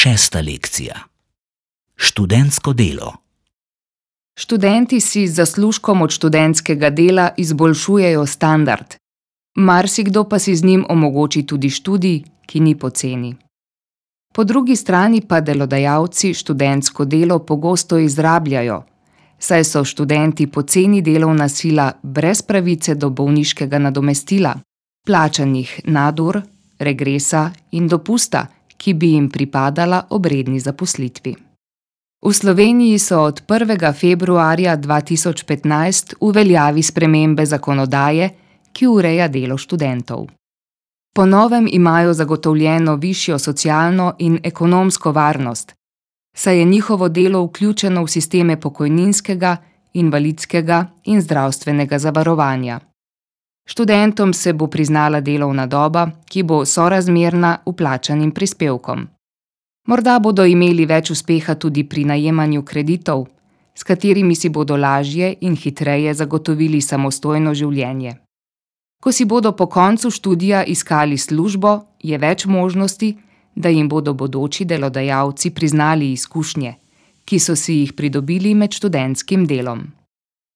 6. lekcija. Študentsko delo. Študenti si z zaslužkom od študentskega dela izboljšujejo standard. Marsikdo pa si z njim omogoči tudi študij, ki ni poceni. Po drugi strani pa delodajalci študentsko delo pogosto izrabljajo, saj so študenti poceni delovna sila brez pravice do bolniškega nadomestila, plačanih nadur, regresa in dopusta, ki bi jim pripadala ob redni zaposlitvi. V Sloveniji so od 1. februarja 2015 v veljavi spremembe zakonodaje, ki ureja delo študentov. Po novem imajo zagotovljeno višjo socialno in ekonomsko varnost, saj je njihovo delo vključeno v sisteme pokojninskega, invalidskega in zdravstvenega zavarovanja. Študentom se bo priznala delovna doba, ki bo sorazmerna vplačanim prispevkom. Morda bodo imeli več uspeha tudi pri najemanju kreditov, s katerimi si bodo lažje in hitreje zagotovili samostojno življenje. Ko si bodo po koncu študija iskali službo, je več možnosti, da jim bodo bodoči delodajalci priznali izkušnje, ki so si jih pridobili med študentskim delom.